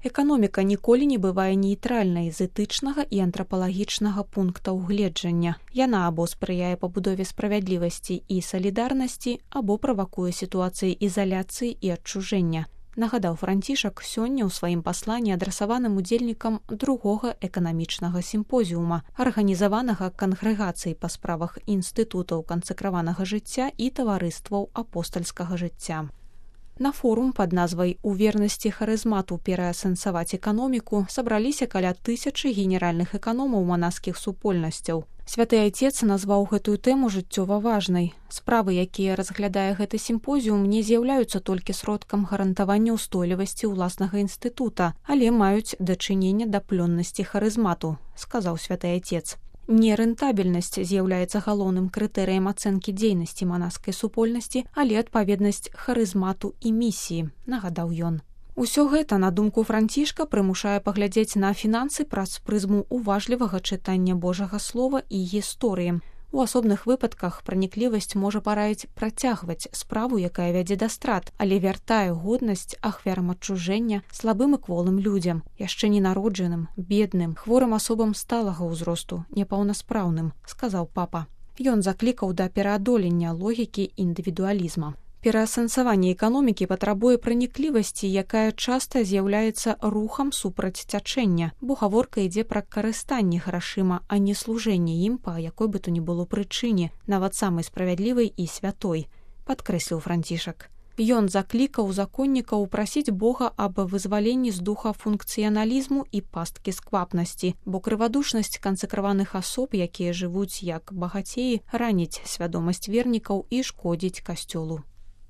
Эканоміка ніколі не бывае нейтральнай з этычнага і антрапалагічнага пункта ўгледжання. Яна або спрыяе пабудове справядлівасці і салідарнасці, або правакуе сітуацыі ізаляцыі і адчужэння. Нагадаў Францішак сёння ў сваім пасланні адрасаваным удзельнікам другога эканамічнага сімпозіума, арганізаванага кангрэгацыяй па справах інстытутаў кансакраванага жыцця і таварыстваў апостальскага жыцця. На форум пад назвай «У вернасці харызмату пераасэнсаваць эканоміку» сабраліся каля 1000 генеральных эканомаў манаскіх супольнасцяў. Святы Айцец назваў гэтую тэму жыццёва важнай. Справы, якія разглядае гэты сімпозіум, не з'яўляюцца толькі сродкам гарантавання ўстойлівасці ўласнага інстытута, але маюць дачыненне да плённасці харызмату, сказаў святы Айцец. Нерэнтабельнасць з'яўляецца галоўным крытэрыем ацэнкі дзейнасці манаскай супольнасці, але адпаведнасць харызмату і місіі, нагадаў ён. Усё гэта, на думку Францішка, прымушае паглядзець на фінансы праз прызму уважлівага чытання Божага слова і гісторыі. У асобных выпадках праніклівасць можа параіць працягваць справу, якая вядзе да страт, але вяртае годнасць ахвярам адчужэння, слабым і кволым людзям, яшчэ ненароджаным, бедным, хворым асобам сталага ўзросту, непаўнаспраўным, сказаў папа. Ён заклікаў да пераадолення логікі індывідуалізма. Пераасэнсаванне эканомікі патрабуе праніклівасці, якая часта з'яўляецца рухам супраць цячэння, бо гаворка ідзе пра карыстанне грашыма, а не служэнне ім па якой бы то ні было прычыне, нават самай справядлівай і святой, падкрэсліў Францішак. Ён заклікаў законнікаў прасіць Бога аб вызваленні з духа функцыяналізму і пасткі сквапнасці, бо крывадушнасць кансакраваных асоб, якія жывуць як багацеі, раніць свядомасць вернікаў і шкодзіць касцёлу.